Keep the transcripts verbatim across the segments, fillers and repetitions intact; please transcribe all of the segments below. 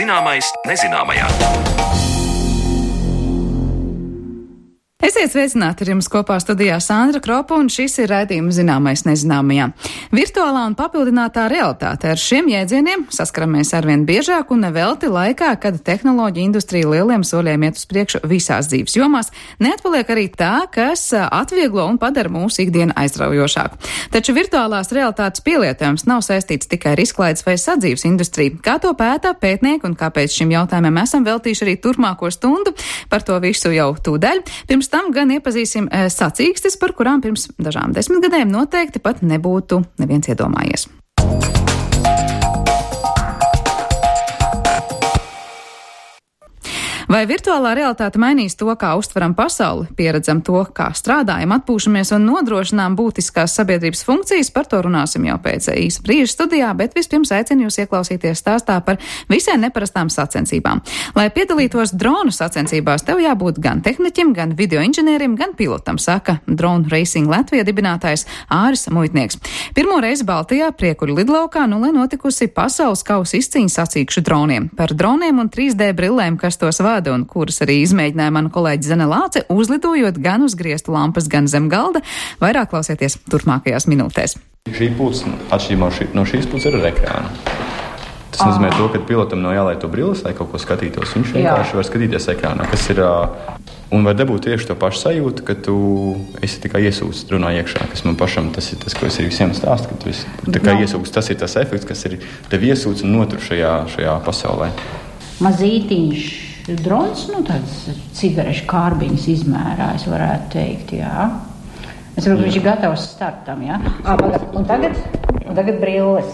Zināmais nezināmajā. Esiet sveicināti, ar jums kopā studijā Sandra Kropa, un šis ir raidījums Zināmais nezināmajā. Virtuālā un papildinātā realitāte. Ar šiem jēdzieniem saskaramies arvien biežāk un nevelti laikā, kad tehnoloģija industrija lieliem soļiem iet uz priekšu visās dzīves jomās. Neatpaliek arī tā, kas atvieglo un padara mūsu ikdienu aizraujošāku. Taču virtuālās realitātes pielietojums nav saistīts tikai ar izklaides vai sadzīves industriju. Kā to pētā pētnieki un kāpēc šim jautājumam esam veltījuši arī turpmāko stundu, par to visu jau tūdaļ. Pirms tam gan iepazīsim sacīkstes, par kurām pirms dažām desmitgadēm noteikti pat nebūtu neviens iedomājies. Vai virtuālā realitāte mainīs to, kā uztveram pasauli, pieredzam to, kā strādājam, atpūšamies un nodrošinām būtiskās sabiedrības funkcijas? Par to runāsim jau pēc īsa brīža studijā, bet vispirms aicinu jūs ieklausīties stāstā par visai neparastām sacensībām. Lai piedalītos dronu sacensībās, tev jābūt gan tehniķim, gan video inženierim, gan pilotam, saka Drone Racing Latvija dibinātājs Āris Muitnieks. Pirmo reizi Baltijā Priekuļu lidlaukā nu lai notikusi pasaules kausa izcīņa sacīkšu droniem. Par droniem un trīs D brillēm, kas tos vada un kuras arī izmēģināja mana kolēģi Zane Lāce, uzlidojot gan uz griestu lampas, gan zem galda. Vairāk klausieties turpmākajās minūtēs. Šī puse, atšķirībā no šīs puses, ir ar ekrānu. Tas nozīmē to, ka pilotam nav jāliek to brilles, lai kaut ko skatītos. Viņš vienkārši var skatīties ekrānā, kas ir, un var dabūt tieši to pašu sajūtu, ka tu esi tikai iesūcis runā iekšā, kas man pašam tas ir tas, ko es arī visiem stāstu, ka tu esi tikai iesūcis. Tas ir tas efekts, kas ir tev iesūcis un notur šajā, šajā pasaulē. Mazītiņš drons, nu tāds cigarešu kārbiņas izmērā, es varētu teikt, jā. Es saprotu, ka viņš ir gatavs startam, jā. À, un tagad, un tagad brilles.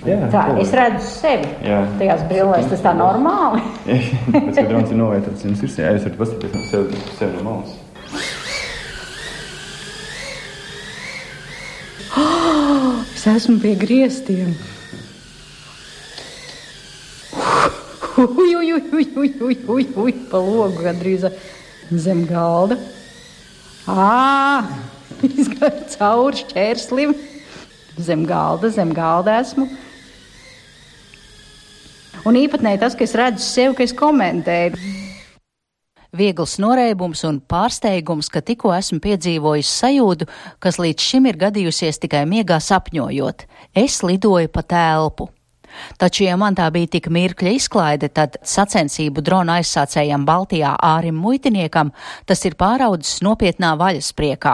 Jā, tā, es redzu sevi jā. Tajās brillēs, tas tā normāli. Pēc, ka drons ir novietots jums ir, jā, jūs varat paskatīties no sevi, sevi no malas. Oh, es esmu pie griestiem. Uj, uj, uj, uj, uj, uj, uj, uj, pa logu gandrīz zem galda. Ā, izgāju cauri šķērslim. Zem galda, zem galda esmu. Un īpatnēji tas, ka es redzu sevi, ka es komentēju. Viegls noreibums un pārsteigums, ka tikko esmu piedzīvojis sajūtu, kas līdz šim ir gadījusies tikai miegā sapņojot. Es lidoju pa telpu. Taču, ja man tā bija tik mirkļa izklaide, tad sacensību drona aizsācējam Baltijā Ārim Muitniekam tas ir pāraudzis nopietnā vaļaspriekā.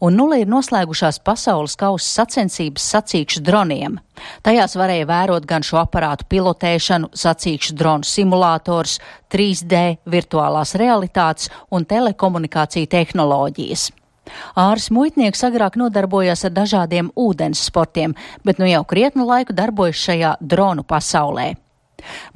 Un nulle ir noslēgušās pasaules kausa sacensības sacīkšu droniem. Tajās varēja vērot gan šo aparātu pilotēšanu, sacīkšu dronu simulators, trīs D, virtuālās realitātes un telekomunikāciju tehnoloģijas. Āris Muitnieks agrāk nodarbojās ar dažādiem ūdens sportiem, bet nu jau krietnu laiku darbojas šajā dronu pasaulē.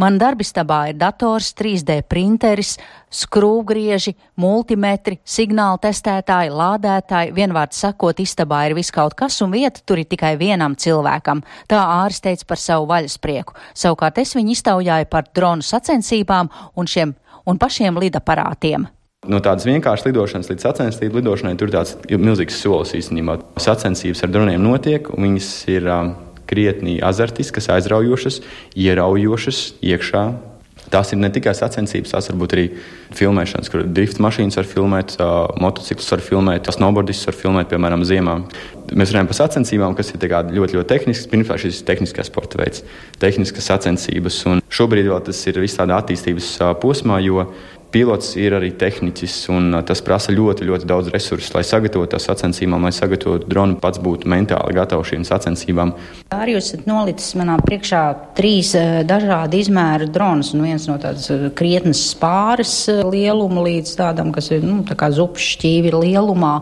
Man darbistabā ir dators, trīs D printeris, skrūvgrieži, multimetri, signālu testētāji, lādētāji, vienvārds sakot, istabā ir viss kaut kas un vieta tur ir tikai vienam cilvēkam. Tā Āris teica par savu vaļasprieku. Savukārt es viņu iztaujāju par dronu sacensībām un šiem un pašiem lidaparātiem. No tādas vienkāršas lidošanas līdz sacensību lidošanai tur ir tāds milzīgs solis īstenībā. Sacensības ar droniem notiek, un viņas ir um, krietni azartiskas, aizraujošas, ieraujošas iekšā. Tās ir ne tikai sacensības, tās varbūt arī filmēšanas, kur drift mašīnas var filmēt, uh, motociklus var filmēt, snowboardistus var filmēt, piemēram, ziemā. Mēs runājam par sacensībām, kas ir ļoti, ļoti tehniskas. Pirmkārt, šis ir tehniskais sporta veids, tehniskas sacensības, un šobrīd vēl tas ir viss tādā attīstības uh, posmā, jo pilots ir arī tehnicis, un tas prasa ļoti, ļoti daudz resursu, lai sagatavotu tās sacensībām, lai sagatavotu dronu, pats būtu mentāli gatavs šīm sacensībām. Arī jūs esat nolicis manā priekšā trīs dažādi izmēru dronus, un viens no tādas krietnas spāres lieluma līdz tādam, kas ir, nu, tā kā zupas šķīvi lielumā,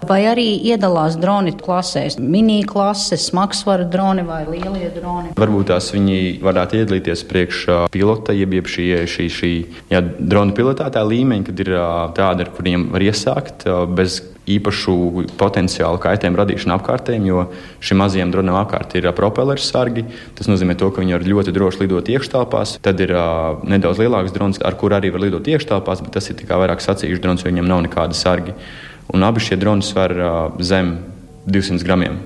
vai arī iedalās droni klasēs, mini klases, smagsvaru droni vai lielie droni? Varbūt tās viņi varētu iedalīties priekš pilota, jeb jeb šī, šī, šī jā, drona pilota tā līmeņa, kad ir tāda, ar kuriem var iesākt bez īpašu potenciālu kaitējumu radīšanu apkārtējiem, jo šim mazajam dronam apkārt ir propelleru sargi. Tas nozīmē to, ka viņi var ļoti droši lidot iekštelpās. Tad ir uh, nedaudz lielāks drons, ar kur arī var lidot iekštelpās, bet tas ir tikai vairāk sacīkšu drons, jo viņam nav nekāda sargi. Un abi šie droni svar uh, zem divsimt gramiem.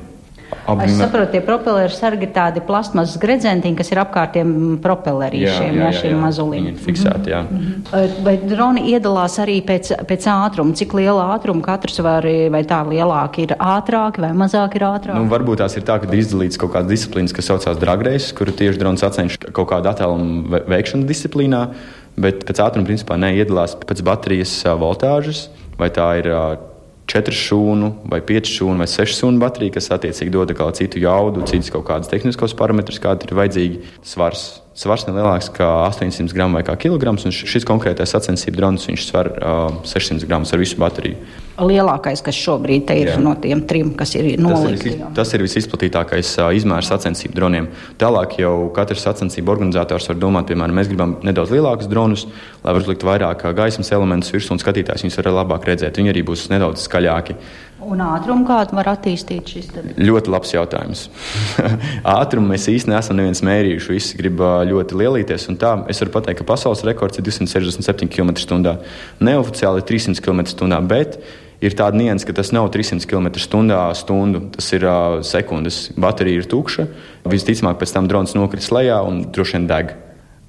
Abi es saprotu, tie propelleru sargi ir tādi plastmasas gredzentiņi, kas ir apkārtiem propellerīšiem, jā, jā, jā, šiem mazuliem. Viņi ir fiksēti, jā. Mm-hmm. Vai droni iedalās arī pēc, pēc ātruma? Cik liela ātruma katrs var, vai tā lielāka ir ātrāki vai mazāk ir ātrāki? Nu, varbūt tās ir tā, ka ir izdalīts kaut kādas disciplīnas, kas saucās drag race, kuru tieši drons sacenš kaut kādu attālumu veikšanu disciplīnā, bet pēc ātruma principā neiedalās pēc baterijas voltāžas, vai tā ir četru šūnu, vai piecu šūnu, vai sešu šūnu baterija, kas attiecīgi dod kā citu jaudu, citus kaut kādus tehniskos parametrus, kādi ir vajadzīgi. Svars. Svars ne lielāks kā astoņsimt gramu vai kā kilograms, un šis konkrētais sacensību drons, viņš svar uh, sešsimt gramus ar visu bateriju. Lielākais, kas šobrīd te ir, jā, no tiem trim, kas ir nolikti. Tas, tas ir visizplatītākais uh, izmērs sacensību droniem. Tālāk jau katrs sacensību organizators var domāt, piemēram, mēs gribam nedaudz lielākus dronus, lai var uzlikt vairāk gaismas elementus virsū, un skatītājs viņus var labāk redzēt. Viņi arī būs nedaudz skaļāki. Un ātrumu kādu var attīstīt šis tad? Ļoti labs jautājums. Ātrumu mēs īsti neesam neviens mērījuši. Visi grib ļoti lielīties. Un tā, es varu pateikt, ka pasaules rekords ir divsimt sešdesmit septiņi kilometri stundā. Neoficiāli ir trīs simti kilometri stundā, bet ir tāda nianse, ka tas nav trīs simti kilometri stundā stundu. Tas ir uh, sekundes. Baterija ir tukša. Visticamāk, pēc tam drons nokris lejā un droši vien deg.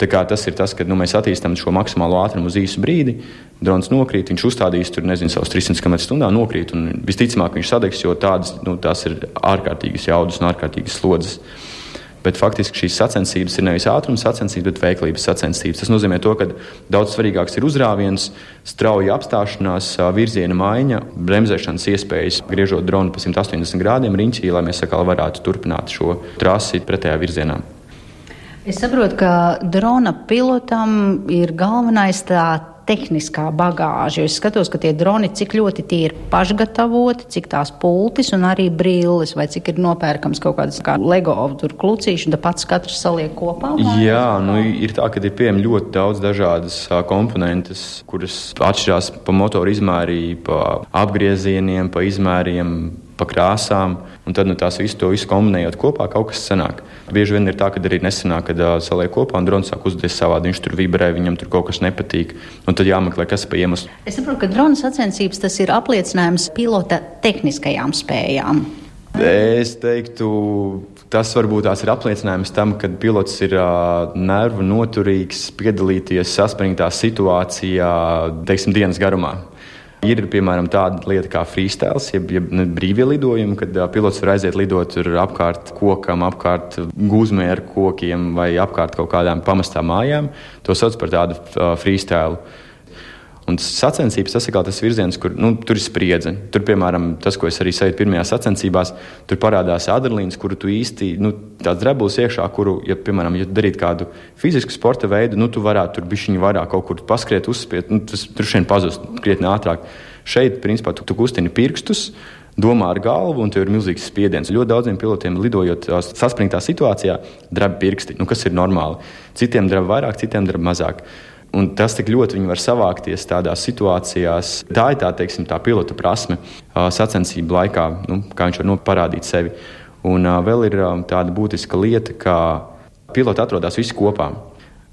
Tā kā tas ir tas, ka nu, mēs attīstam šo maksimālo ātrumu uz īsu brīdi, drons nokrīt, viņš uzstādīs tur, nezinu, savus trīs simti kilometru stundā nokrīt, un visticamāk viņš sadegs, jo tādas, nu, tās ir ārkārtīgas jaudas un ārkārtīgas slodzes. Bet faktiski šīs sacensības ir nevis ātrums sacensības, bet veiklības sacensības. Tas nozīmē to, ka daudz svarīgāks ir uzrāviens, strauja apstāšanās, virziena maiņa, bremzēšanas iespējas, griežot dronu pa simt astoņdesmit grādiem riņķī, lai mēs atkal varētu turpināt šo trasi pretējā virzienā. Es saprotu, ka drona pilotam ir galvenais tā tehniskā bagāža. Es skatos, ka tie droni, cik ļoti tie ir pašgatavoti, cik tās pultis un arī brilles, vai cik ir nopērkams kaut kādas kā Lego tur klucīši, un pats katrs saliek kopā. Jā, nu ir tā, ka ir pieejami ļoti daudz dažādas komponentes, kuras atšķirās pa motoru izmērī, pa apgriezieniem, pa izmēriem, pa krāsām, un tad nu, tās visu to visu kombinējot kopā, kaut kas sanāk. Bieži vien ir tā, ka arī nesanāk, kad uh, saliek kopā un drons sāk uzvesties savādi, viņš tur vibrē, viņam tur kaut kas nepatīk, un tad jāmeklē, kas pa iemeslu. Es saprotu, ka drona sacensības tas ir apliecinājums pilota tehniskajām spējām. Es teiktu, tas varbūt tās ir apliecinājums tam, ka pilots ir uh, nervu noturīgs piedalīties saspringtā situācijā, teiksim, dienas garumā. Ir, piemēram, tāda lieta kā freestyles, jeb, jeb brīvie lidojumi, kad uh, pilots var aiziet lidot apkārt kokam, apkārt gūzmē ar kokiem vai apkārt kaut kādām pamestām mājām. To sauc par tādu uh, freestyle. Un sacensības, tas ir kā tas virziens, kur nu, tur ir spriedze. Tur, piemēram, tas, ko es arī sajūtu pirmajās sacensībās, tur parādās adrenalīns, kuru tu īsti, nu, tāds drebulis iekšā, kuru, ja, piemēram, ja darīt kādu fizisku sporta veidu, nu, tu varētu tur bišķiņi vairāk kaut kur paskriet, uzspiet, nu, tas tur šeit pazust krietni ātrāk. Šeit, principā, tu, tu kustini pirkstus, domā ar galvu, un tev ir milzīgs spiediens. Ļoti daudziem pilotiem lidojot saspringtā situācijā dreb pirksti, nu, kas ir normāli. Citiem dreb vairāk, citiem dreb mazāk. Un tas tik ļoti viņi var savākties tādās situācijās. Tā ir tā, teiksim, tā pilota prasme uh, sacensību laikā, nu, kā viņš var nu, parādīt sevi. Un uh, vēl ir uh, tāda būtiska lieta, ka piloti atrodas visi kopā.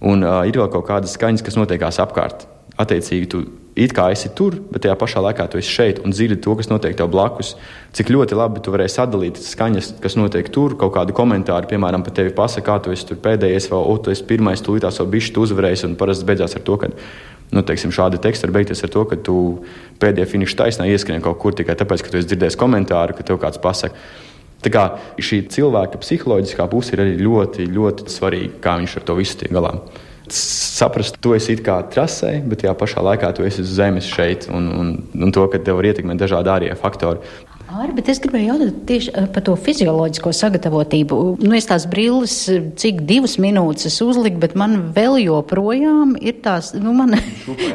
Un uh, ir vēl kaut kādas skaņas, kas notiekās apkārt. Attiecīgi, tu it kā esi tur, bet tajā pašā laikā tu esi šeit un dzirdi to, kas notiek tev blakus. Cik ļoti labi tu varēsi atdalīt skaņas, kas notiek tur, kaut kādu komentāru, piemēram, par tevi pasaka, kā tu esi tur pēdējais, vai o, tu esi pirmais, tu līdās vēl bišķi tu uzvarēsi, un parasti beidzās ar to, ka, nu, teiksim, šādi teksti var beigties ar to, ka tu pēdējā finiša taisnā ieskrien kaut kur tikai tāpēc, ka tu esi dzirdējis komentāru, ka tev kāds pasaka. Tā kā šī cilvēka psiholoģiskā puse ir arī ļoti, ļoti svarīga, kā viņš ar to visu tiek galā. Saprast, tu esi it kā trasē, bet tajā pašā laikā tu esi uz zemes šeit, un, un, un to, ka tev var ietekmēt dažādi ārējie faktori. Arī, bet es gribēju jautāt tieši par to fizioloģisko sagatavotību. Nu, es tās brilles, cik divas minūtes es uzliku, bet man vēl joprojām ir tās, nu, man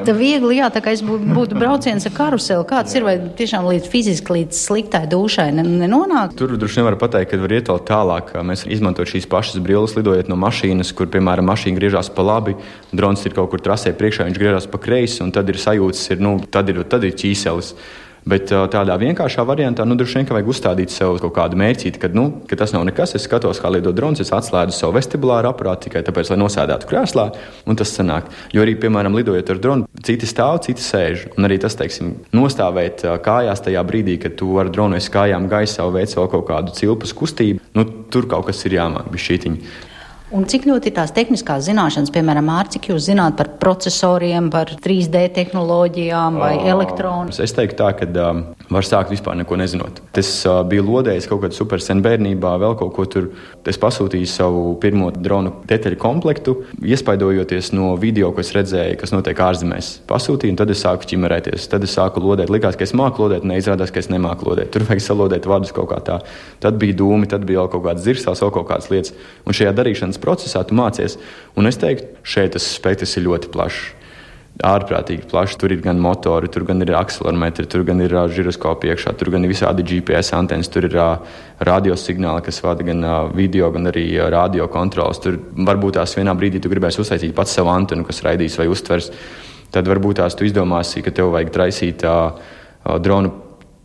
tā viegli, jā, tā kā es būtu, būtu brauciens ar karuseli. Kāds ir, vai tiešām līdz fiziski, līdz sliktai dušai nenonāk? Tur droši nevar pateikt, ka var iet vēl tālāk. Mēs izmantojam šīs pašas brilles, lidojot no mašīnas, kur, piemēram, mašīna griežās pa labi, drons ir kaut kur trasē priekšā, viņš griežās pa kreisi, un tad ir sajūtas, ir, nu, tad ir, tad ir ķīselis. Bet tādā vienkāršā variantā, nu, droši vien, ka vajag uzstādīt sev kaut kādu mērķīti, ka, nu, ka tas nav nekas. Es skatos, kā lido drons, es atslēdzu savu vestibulāru aparātu tikai tāpēc, lai nosēdētu krēslā, un tas sanāk. Jo arī, piemēram, lidojot ar dronu, citi stāv, citi sēž. Un arī tas, teiksim, nostāvēt kājās tajā brīdī, kad tu ar dronu esi kājām gaisā un veic vēl kaut kādu cilpas kustību, nu, tur kaut kas ir jāmāk bišķītiņi. Un cik ļoti ir tās tehniskās zināšanas, piemēram, Mār, cik jūs zināt par procesoriem, par trīs D tehnoloģijām vai oh, elektronu? Es teiktu tā, ka um, var sākt vispār neko nezinot. Es uh, biju lodējis kaut kādu supersen bērnībā, vēl kaut ko tur. Es pasūtīju savu pirmo dronu detaļu komplektu, iespaidojoties no video, ko es redzēju, kas notiek ārzemēs. Pasūtīju, un tad es sāku ķimerēties. Tad es sāku lodēt. Likās, ka es māku lodēt, neizrādās, ka es nemāku lodēt. Tur vajag salodēt vadus kaut kā tā. Tad bija dūmi, tad bija vēl kaut kādas zirsās, vēl kaut kādas lietas. Un šajā darīšanas procesā tu mācies, un es teiktu, šeit tas spektrs ir ļoti plašs, ārprātīgi plašs. Tur ir gan motori, tur gan ir akselerometri, tur gan ir uh, žiroskopi iekšā, tur gan ir visādi G P S antenas, tur ir uh, radiosignāli, kas vada gan uh, video, gan arī uh, radio kontrols. Tur varbūt tās vienā brīdī tu gribēsi uztaisīt pats savu antenu, kas raidīs vai uztvers. Tad varbūt tās tu izdomāsi, ka tev vajag traisīt uh, uh, dronu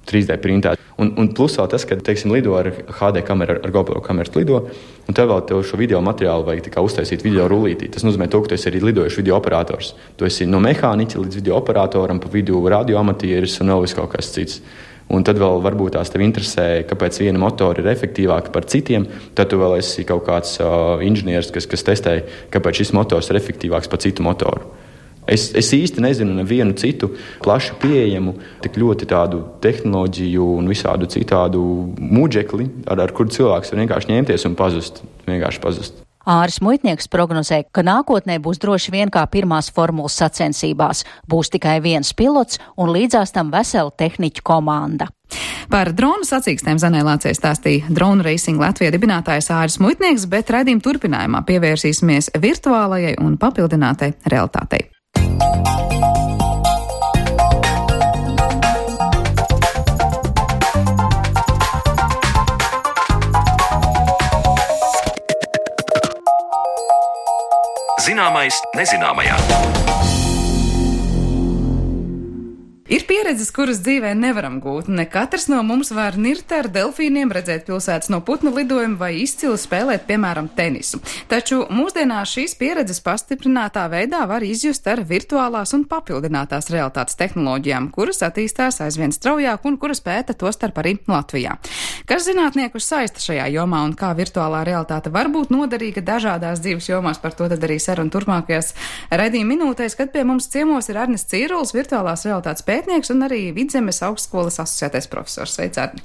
trīs D printā. Un, un plus vēl tas, ka, teiksim, lido ar H D kameru, ar GoPro kameras lido, un tev vēl tev šo video materiālu vajag tikai uztaisīt video rullītī. Tas nozīmē to, ka tu esi arī lidojuši video operators. Tu esi no mehāniķa līdz video operatoram, pa vidu radio amatieris un vēl vis kaut kas cits. Un tad vēl varbūt tās tev interesē, kāpēc viena motora ir efektīvāka par citiem, tad tu vēl esi kaut kāds uh, inženieris, kas, kas testē, kāpēc šis motors ir efektīvāks par citu motoru. Es, es īsti nezinu nevienu citu plaši pieejamu, tik ļoti tādu tehnoloģiju un visādu citādu mūģekli, ar, ar kuru cilvēks var vienkārši ņemties un pazust. Vienkārši pazust. Āris Muitnieks prognozē, ka nākotnē būs droši vien kā pirmās formulas sacensībās. Būs tikai viens pilots un līdzās tam vesela tehniķu komanda. Par dronu sacīkstēm Zanē Lācei stāstīja Drone Racing Latvija dibinātājs Āris Muitnieks, bet raidījuma turpinājumā pievērsīsimies virtuālajai un papildinātai realitātei. Zināmais nezināmajā. Ir pieredzes, kuras dzīvē nevaram gūt. Ne katrs no mums var nirt ar delfīniem, redzēt pilsētas no putnu lidojumu vai izcili spēlēt, piemēram, tenisu. Taču mūsdienās šīs pieredzes pastiprinātā veidā var izjust ar virtuālās un papildinātās realitātes tehnoloģijām, kuras attīstās aizvien straujāk un kuras pēta tostarp arī Latvijā. Kas zinātniekus saista šajā jomā un kā virtuālā realitāte var būt noderīga dažādās dzīves jomās, par to tad arī saruna turpmākajās raidījuma minūtēs, kad pie mums ciemos ir Arnis Cīrulis, virtuālās realitātes pētnieks un arī Vidzemes augstskolas asociētais profesors. Sveic, Arni!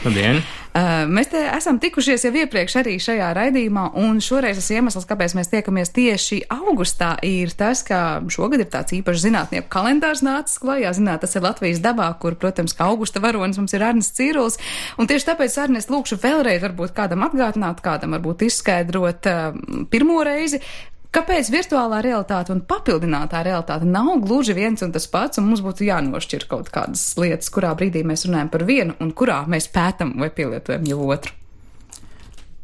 Labdien! Uh, mēs te esam tikušies jau iepriekš arī šajā raidījumā, un šoreiz tas iemesls, kāpēc mēs tiekamies tieši augustā, ir tas, ka šogad ir tāds īpašs zinātnieku kalendārs nācis klajā. Zināt, tas ir Latvijas dabā, kur, protams, kā augusta varonis mums ir Arnis Cīrulis, un tieši tāpēc, Arni, es lūkšu vēlreiz varbūt kādam atgādināt, kādam varbūt izskaidrot uh, pirmo reizi, kāpēc virtuālā realitāte un papildinātā realitāte nav gluži viens un tas pats, un mums būtu jānošķir kaut kādas lietas, kurā brīdī mēs runājam par vienu un kurā mēs pētam vai pielietojam jau otru?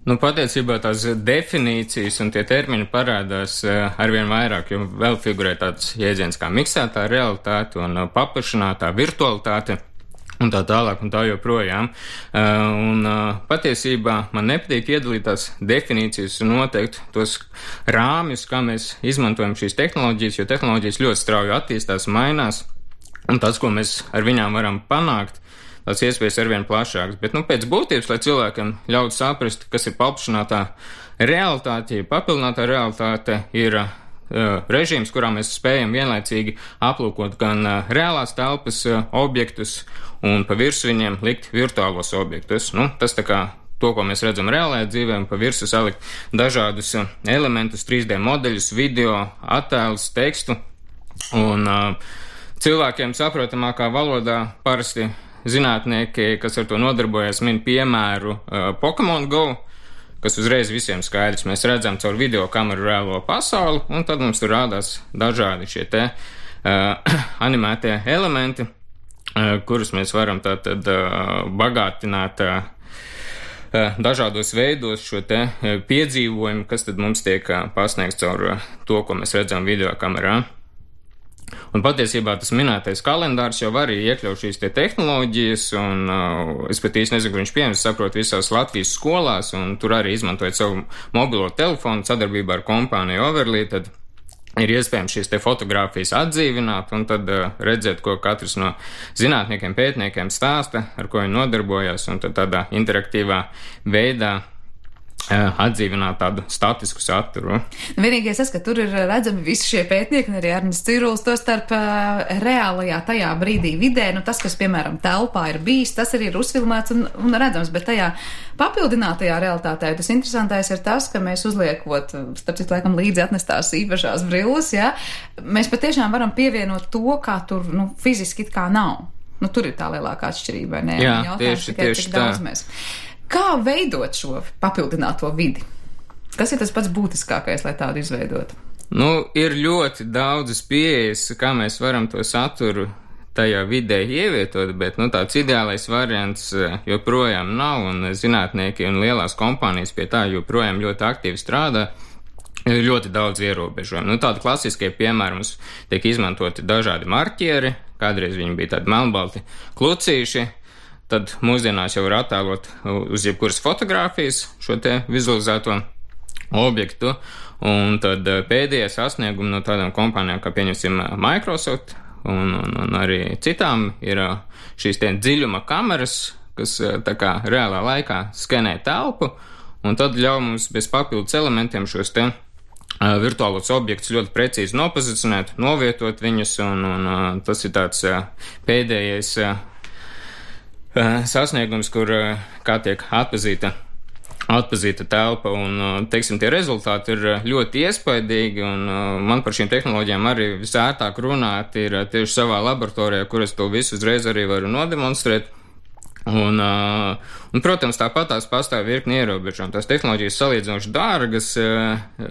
Nu, patiesībā tās definīcijas un tie termini parādās arvien vairāk, jo vēl figurē tāds jēdziens kā miksētā realitāte un paplašinātā virtualitāte. Un tā tālāk, un tā joprojām. Uh, un uh, patiesībā man nepatīk iedalīt tās definīcijas un noteikt tos rāmjus, kā mēs izmantojam šīs tehnoloģijas, jo tehnoloģijas ļoti strauji attīstās, mainās, un tas, ko mēs ar viņām varam panākt, tās iespējas arvien plašākas. Bet, nu, pēc būtības, lai cilvēkiem ļautu saprast, kas ir paplašinātā realitāte, ja papildinātā realitāte ir uh, režīms, kurā mēs spējam vienlaicīgi aplūkot gan uh, reālās telpas uh, objektus, un pa virsu viņiem likt virtuālos objektus. Nu, tas tā kā to, ko mēs redzam reālajā dzīvē, un pa virsu salikt dažādus elementus, trīs D modeļus, video, attēlus, tekstu. Un uh, cilvēkiem saprotamākā valodā parasti zinātnieki, kas ar to nodarbojas, min piemēru uh, Pokemon Go, kas uzreiz visiem skaidrs. Mēs redzam caur video kameru reālo pasauli, un tad mums tur rādās dažādi šie te uh, animētie elementi, kurus mēs varam tātad bagātināt dažādos veidos šo te piedzīvojumu, kas tad mums tiek pasniegts caur to, ko mēs redzam video kamerā. Un patiesībā tas minētais kalendārs jau arī iekļauj šīs te tehnoloģijas, un uh, es pat īsti nezinu, kur viņš pieņems, saprot visās Latvijas skolās, un tur arī izmantojot savu mobilo telefonu sadarbībā ar kompāniju Overly, tad ir iespējams šīs te fotogrāfijas atdzīvināt un tad uh, redzēt, ko katrs no zinātniekiem, pētniekiem stāsta, ar ko viņi nodarbojās, un tad tādā interaktīvā veidā atdzīvināt tādu statisku saturu. Vienīgais tas, ka tur ir redzami visi šie pētnieki, un arī Ernests Cirulis, to starp uh, reālajā tajā brīdī vidē, nu tas, kas, piemēram, telpā ir bijis, tas arī ir uzfilmēts un, un redzams, bet tajā papildinātajā realitātē tas interesantais ir tas, ka mēs uzliekot, starp citu, laikam līdzi atnestās īpašās brilles, ja, mēs patiešām varam pievienot to, kā tur, nu, fiziski it kā nav. Nu, tur ir tā lielākā atšķirība, vai ne? Jā, jautājums, tieši, tikai, tieši tā. Mēs. Kā veidot šo papildināto vidi? Kas ir tas pats būtiskākais, lai tādu izveidotu? Nu, ir ļoti daudzas pieejas, kā mēs varam to saturu tajā vidē ievietot, bet, nu, tāds ideālais variants joprojām nav, un zinātnieki un lielās kompānijas pie tā joprojām ļoti aktīvi strādā. Ir ļoti daudz ierobežojumu. Nu, tādi klasiskie piemēri mums tiek izmantoti dažādi marķieri, kādreiz viņi bija tādi melnbalti klucīši, tad mūsdienās jau ir attēlot uz jebkuras fotogrāfijas šo te vizualizēto objektu, un tad pēdējie sasniegumi no tādām kompānijām, kā pieņemsim Microsoft un, un, un arī citām, ir šīs tie dziļuma kameras, kas tā kā reālā laikā skenē telpu, un tad ļauj mums bez papildus elementiem šos te virtuālos objektus ļoti precīzi nopozicionēt, novietot viņus, un, un tas ir tāds pēdējais sasniegums, kur kā tiek atpazīta, atpazīta telpa, un, teiksim, tie rezultāti ir ļoti iespaidīgi, un man par šīm tehnoloģijām arī visērtāk runāt ir tieši savā laboratorijā, kur es to visu uzreiz arī varu nodemonstrēt. Un, un protams, tāpat tās pastāv virkni ierobežojumi. Tās tehnoloģijas salīdzinoši dārgas,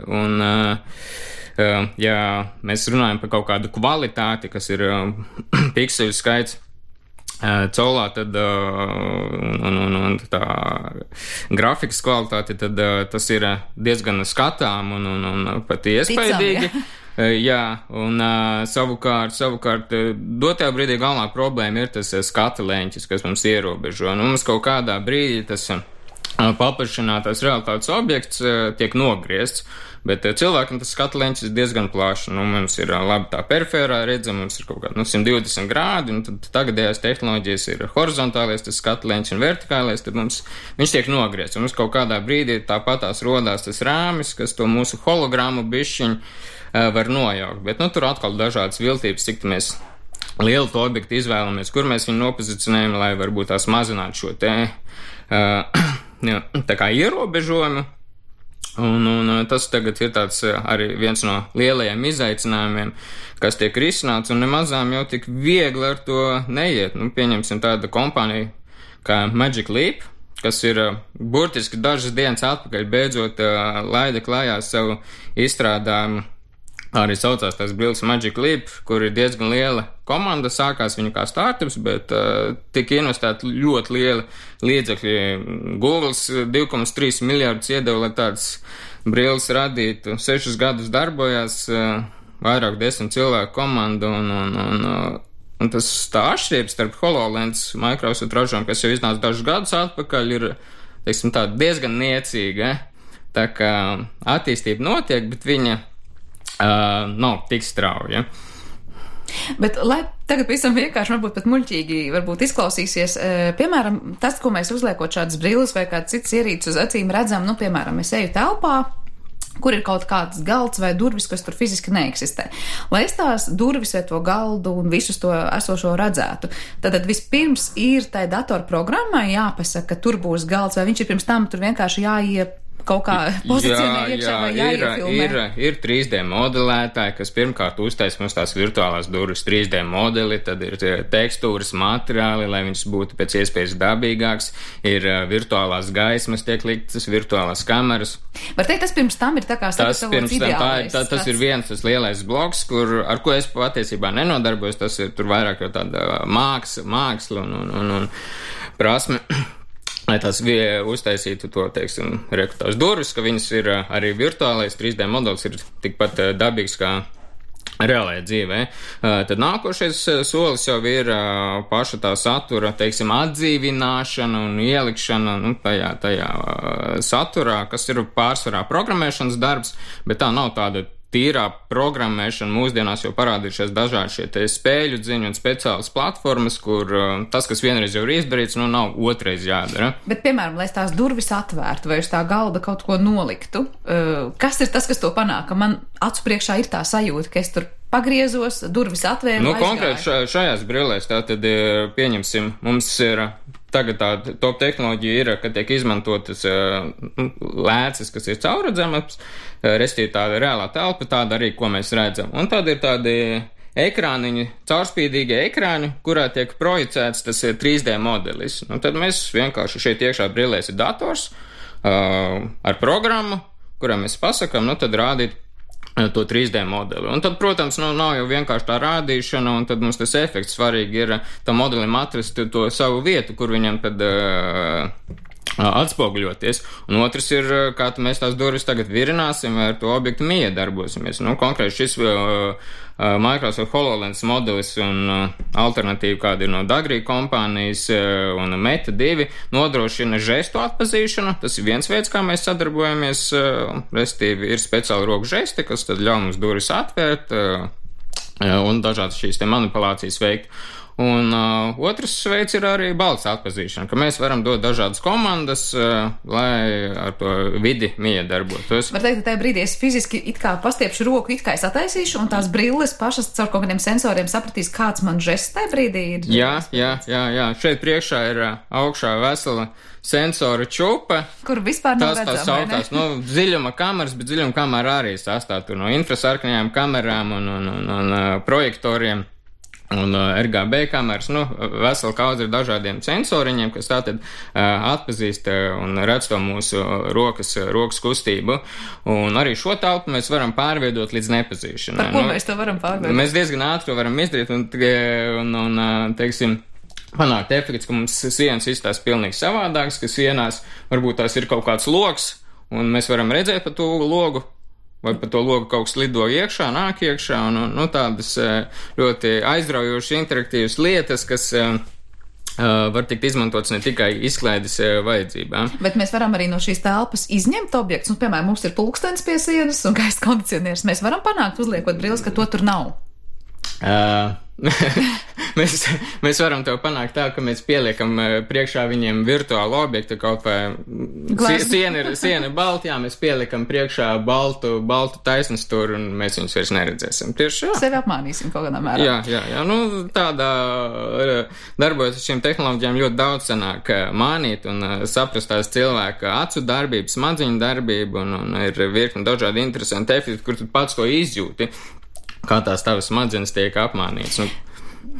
un, ja mēs runājam par kaut kādu kvalitāti, kas ir pikseļu skaits caulā, tad un, un, un tā grafikas kvalitāte, tad tas ir diezgan skatām un, un, un pat iespaidīgi. Ticam, ja? Jā, un savukārt, savukārt dotajā brīdī galvenā problēma ir tas skata leņķis, kas mums ierobežo. Nu, mums kaut kādā brīdī tas paplašinātās realitātes objekts tiek nogriezts, bet cilvēkam tas skata leņķis ir diezgan plašs. Nu, mums ir labi tā perifērā redzama, mums ir kaut kādi nu, simt divdesmit grādi, un tad tagadējās tehnoloģijas ir horizontālais, tas skata leņķis un vertikālais, tad mums viņš tiek nogriezts. Un mums kaut kādā brīdī tāpatās rodās tas rāmis, kas to mūsu hologramu bišķiņu uh, var nojaukt. Bet nu, tur atkal dažādas viltības, cik mēs lielu to objektu izvēlamies, kur mēs viņu nopozicionējam, lai varbūt tās mazinātu šo te uh, tā kā ierobežojumu. Un, un tas tagad ir tāds arī viens no lielajiem izaicinājumiem, kas tiek risināts, un nemazām jau tik viegli ar to neiet. Nu, pieņemsim tādu kompāniju kā Magic Leap, kas ir burtiski dažas dienas atpakaļ beidzot laida klājā savu izstrādājumu. Arī saucās tās brilles Magic Leap, kur ir diezgan liela komanda, sākās viņu kā startups, bet uh, tika investēti ļoti lieli līdzekļi. Googles divi komats trīs miljārdus iedeva, lai tādas brilles radītu. Sešus gadus darbojās, uh, vairāk desmit cilvēku komanda, un, un, un, uh, un tas tā atšķirība starp HoloLens Microsoft ražām, kas jau iznāca dažus gadus atpakaļ, ir, teiksim, tā diezgan niecīga. Tā kā attīstība notiek, bet viņa Uh, nav tik strauja. Bet, lai tagad visam vienkārši, varbūt pat muļķīgi varbūt izklausīsies, e, piemēram, tas, ko mēs uzliekot šādas brilles vai kāds cits ierīces uz acīm redzam, nu, piemēram, es eju telpā, kur ir kaut kāds galds vai durvis, kas tur fiziski neeksistē. Lai es tās durvis vai to galdu un visus to esošo redzētu, tad vispirms ir tai datorprogrammai jāpasaka, ka tur būs galds, vai viņš ir pirms tam tur vienkārši jāiep kaut kā pozicionē jā, iekšā jā, vai jāiefilmē? Ir, ir, ir trīs D modelētāji, kas pirmkārt uztais mums tās virtuālās durvis trīs D modeli, tad ir tekstūras materiāli, lai viņas būtu pēc iespējas dabīgāks, ir virtuālās gaismas tiek liktas, virtuālās kameras. Var teikt, tas pirms tam ir tā kā sagatavots ideālais. Tā, tā, tas ir viens tas lielais bloks, kur, ar ko es patiesībā nenodarbojos, tas ir tur vairāk jau tāda māksla, māksla un, un, un, un prasme. Lai tās uztaisītu to, teiksim, rekrutās durvis, ka viņas ir arī virtuālais trīs D modelis ir tikpat dabīgs kā reālajā dzīvē. Tad nākošais solis jau ir paša tā satura, teiksim, atdzīvināšana un ielikšana nu, tajā, tajā saturā, kas ir pārsvarā programmēšanas darbs, bet tā nav tāda tīrā programmēšana. Mūsdienās jau parādījušies dažādi šie te spēļu dziņu un speciālas platformas, kur tas, kas vienreiz jau ir izdarīts, nu nav otrais jādara. Bet, piemēram, lai es tās durvis atvērtu vai uz tā galda kaut ko noliktu, kas ir tas, kas to panāk? Ka man acu priekšā ir tā sajūta, ka es tur pagriezos, durvis atvēru, nu, aizgāju. Konkrēti šajās brillēs tātad pieņemsim, mums ir tagad tā top tehnoloģija ir, ka tiek izmantotas nu, lēces, kas ir caurredzamas, restīvi tāda reālā telpa, tāda arī, ko mēs redzam. Un tad ir tādi ekrāniņi, caurspīdīgie ekrāni, kurā tiek projicēts tas trīs D modelis. Un tad mēs vienkārši šeit iekšā brillēs ir dators uh, ar programmu, kurā mēs pasakam, nu tad rādīt to trīs D modeli. Un tad, protams, nu, nav jau vienkārši tā rādīšana, un tad mums tas efekts svarīgi ir tam modelim atrast to savu vietu, kur viņam tad uh, atspoguļoties. Un otrs ir, kā mēs tās durvis tagad virināsim, vai ar to objektu miedarbosimies. Nu, konkrēti šis uh, Microsoft HoloLens modelis un uh, alternatīva, kāda ir no Dagrī kompānijas uh, un Meta divi, nodrošina žestu atpazīšanu. Tas ir viens veids, kā mēs sadarbojamies. Uh, restīvi ir speciāli roku žesti, kas tad ļauj mums durvis atvērt uh, un dažādas šīs te manipulācijas veikt. Un uh, otrs veids ir arī balss atpazīšana, ka mēs varam dot dažādas komandas, uh, lai ar to vidi miedarbotos. Var teikt, ka tajā brīdī es fiziski it kā pastiepšu roku, it kā es attaisīšu, un tās brilles pašas caur kaut kādiem sensoriem sapratīs, kāds man žests tajā brīdī ir. Jā, jā, jā, jā. Šeit priekšā ir uh, augšā vesela sensora čupa. Kur vispār nav redzama, redzama, vai ne? Tas nu, dziļuma kameras, bet dziļuma kamera arī sastāv no infrasarkanajām kamerām un, un, un, un uh, projektoriem. Un uh, R G B kameras, nu, vesela kaudze ir dažādiem sensoriņiem, kas tātad uh, atpazīst uh, un redz to mūsu rokas, rokas kustību. Un arī šo telpu mēs varam pārveidot līdz nepazīšanai. Par ko nu, mēs to varam pārveidot? Mēs diezgan ātri to varam izdarīt un, un, un teiksim, panākt efekts, ka mums sienas izstās pilnīgi savādāks, ka sienās varbūt tās ir kaut kāds loks, un mēs varam redzēt pa to logu, vai pa to logu kaut kas lido iekšā, nāk iekšā, un nu, tādas ļoti aizraujošas, interaktīvas lietas, kas uh, var tikt izmantotas ne tikai izklaides uh, vajadzībām. Bet mēs varam arī no šīs telpas izņemt objektus, un, piemēram, mums ir pulkstenis pie sienas un gaisa kondicionieris. Mēs varam panākt, uzliekot brilles, ka to tur nav. Uh, mēs, mēs varam to panākt tā, ka mēs pieliekam priekšā viņiem virtuālu objektu, kaut vai siena ir, siena ir balta, jā, mēs pieliekam priekšā baltu, baltu taisnsturu un mēs viņus vairs neredzēsim. Tieši jā. Sevi apmānīsim kaut kādā mērā. Jā, jā, jā, nu tādā darbojas ar šīm tehnoloģijām ļoti daudz sanāk mānīt un saprast tās cilvēka acu darbību, smadziņu darbību un, un ir virkni dažādi interesanti efekti, kur tu pats to izjūti. Kā tās tavas smadzenes tiek apmānītas. Nu,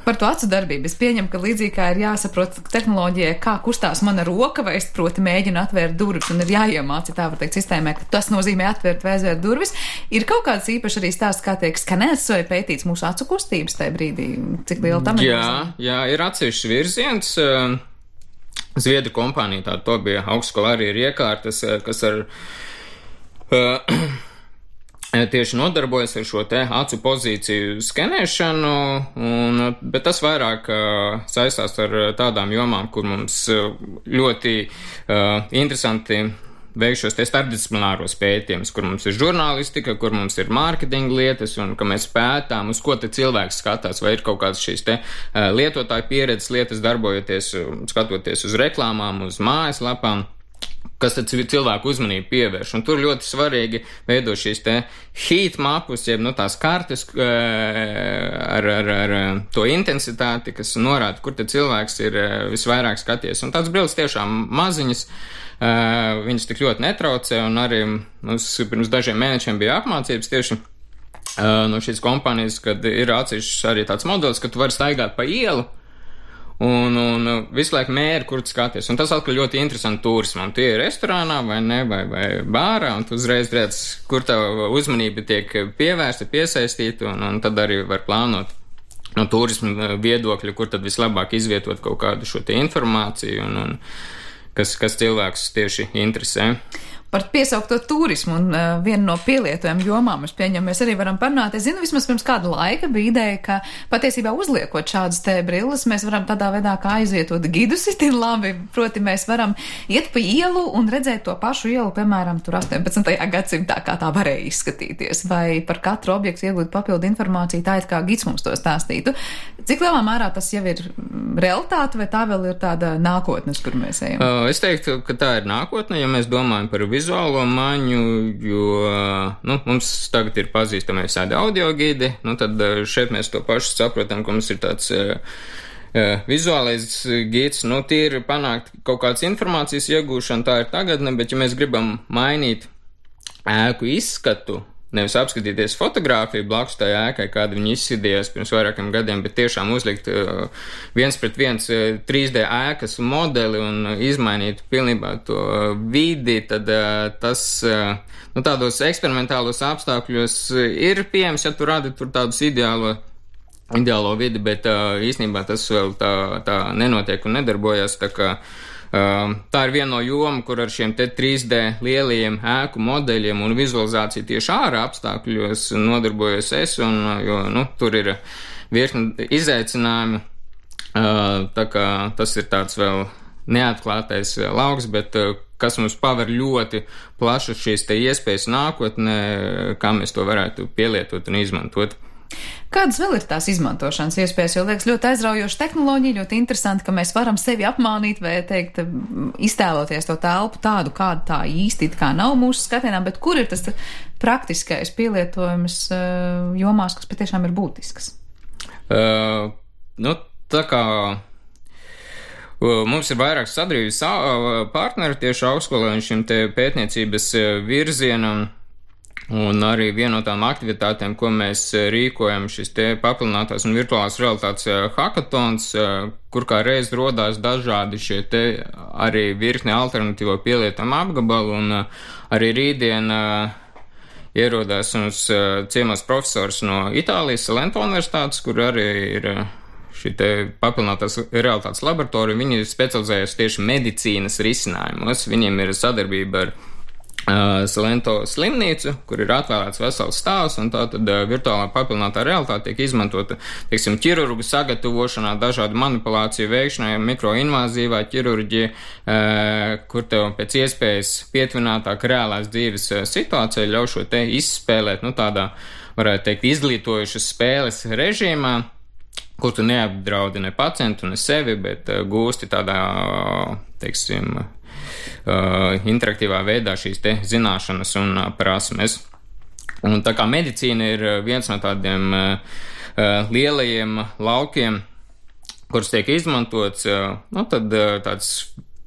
par to acu darbību es pieņemu, ka līdzīgi kā ir jāsaprot tehnoloģijai, kā kustās mana roka, vai es proti mēģinu atvērt durvis un ir jāiemāca, tā var teikt, sistēmē, ka tas nozīmē atvērt vai aizvērt durvis. Ir kaut kāds īpaši arī stāsts, kā tiek skanēts vai pētīts mūsu acu kustības tajā brīdī, cik liela tam ir? Jā, jā, ir atsevišķs virziens. Zviedru kompānija, tā to bija augstskolā arī ir iekārtas, kas ar... Uh, tieši nodarbojas ar šo te acu pozīciju skenēšanu, un, bet tas vairāk uh, saistās ar tādām jomām, kur mums ļoti uh, interesanti veik šos te starpdisciplināros pētījumus, kur mums ir žurnālistika, kur mums ir mārketinga lietas, un ka mēs pētām, uz ko te cilvēks skatās, vai ir kaut kādas šīs te uh, lietotāju pieredzes lietas darbojoties, skatoties uz reklāmām, uz mājaslapām, kas tad cilvēku uzmanību pievērš. Un tur ļoti svarīgi veidot šīs te heat mapus, jeb nu, tās kartes ar, ar, ar to intensitāti, kas norāda, kur te cilvēks ir visvairāk skaties. Un tāds brilles tiešām maziņas, viņas tik ļoti netraucē, un arī mums pirms dažiem mēnešiem bija apmācības tieši no šīs kompānijas, kad ir atsevišķs arī tāds modelis, ka tu vari staigāt pa ielu, Un, un visu laiku mēri, kur tu skaties. Un tas atkal ļoti interesanti turismam. Tu ir restorānā vai ne, vai, vai bārā, un tu uzreiz redz, kur tava uzmanība tiek pievērsta, piesaistīta, un, un tad arī var plānot no turisma viedokļa, kur tad vislabāk izvietot kaut kādu šo te informāciju. Un, un kas, kas cilvēkus tieši interesē. Par piesaukto turismu un uh, vienu no pielietojumiem jomām mēs pieņem, mēs arī varam parunāt. Es zinu, vismaz pirms kāda laika bija ideja, ka patiesībā uzliekot šādas te brilles, mēs varam tādā veidā kā aizvietot gidus itin labi, proti mēs varam iet pa ielu un redzēt to pašu ielu, piemēram, tur astoņpadsmitajā gadsimtā, kā tā varēja izskatīties, vai par katru objektu iegūt papildu informāciju, tā it kā gids mums to stāstītu. Cik lielā mērā tas jau ir realitāte, vai tā vēl ir tāda nākotnes, kur mēs ejam? Uh, es teiktu, ka tā ir nākotne, ja mēs domājam par vizuālo maņu, jo, nu, mums tagad ir pazīstami visādi audio gidi, nu, tad šeit mēs to pašu saprotam, ka mums ir tāds uh, uh, vizuālais gids, nu, tie ir panākt kaut kādas informācijas iegūšana, tā ir tagadne, bet ja mēs gribam mainīt ēku izskatu, nevis apskatīties fotogrāfiju blakus tai ēkai, kāda viņa izskatījās pirms vairākiem gadiem, bet tiešām uzlikt uh, viens pret viens uh, trīs D ēkas modeli un izmainīt pilnībā to uh, vidi, tad uh, tas uh, nu, tādos eksperimentālos apstākļos uh, ir pieejams, ja tu radi tur tādus ideālo, ideālo vidi, bet uh, īstenībā tas vēl tā, tā nenotiek un nedarbojas, tā kā Uh, tā ir viena no joma, kur ar šiem te trīs D lielajiem ēku modeļiem un vizualizāciju tieši ārā apstākļos nodarbojos es, un, jo, nu, tur ir virkni izaicinājumi, uh, tā kā tas ir tāds vēl neatklātais lauks, bet uh, kas mums paver ļoti plašu šīs te iespējas nākotnē, kā mēs to varētu pielietot un izmantot. Kādas vēl ir tās izmantošanas iespējas, jo liekas ļoti aizraujoša tehnoloģija, ļoti interesanti, ka mēs varam sevi apmānīt vai teikt, iztēloties to telpu tādu, kāda tā īsti kā nav mūsu skatienā, bet kur ir tas praktiskais pielietojums jomās, kas patiešām ir būtisks? Uh, nu, tā kā mums ir vairāk sadarbības partneri tieši augstskolā un šim te pētniecības virzienam. Un arī viena no tām aktivitātēm, ko mēs rīkojam, šis te paplinātās un virtuālās realitātes hackathons, kur kā reiz rodās dažādi šie te arī virkne alternatīvo pielietojumu apgabalu, un arī rītdien ierodās mums ciemos profesors no Itālijas Salento universitātes, kur arī ir šī te paplinātās realitātes laboratorija. Viņi specializējas tieši medicīnas risinājumos, viņiem ir sadarbība ar Uh, Salento slimnīcu, kur ir atvēlēts vesels stāvs, un tā tad uh, virtuālā paplinātā realitāte tiek izmantota, teiksim, ķirurgu sagatavošanā, dažādu manipulāciju veikšanai, mikroinvāzīvā ķirurģija, uh, kur tev pēc iespējas pietuvinātāk reālās dzīves uh, situācija ļauj šo te izspēlēt, nu tādā, varētu teikt, izglītojušas spēles režīmā, kur tu neapdraudi ne pacientu, ne sevi, bet uh, gūsti tādā, teiksim, Uh, interaktīvā veidā šīs te zināšanas un uh, prasmes. Un tā kā medicīna ir viens no tādiem uh, lielajiem laukiem, kurus tiek izmantots, uh, nu tad uh, tāds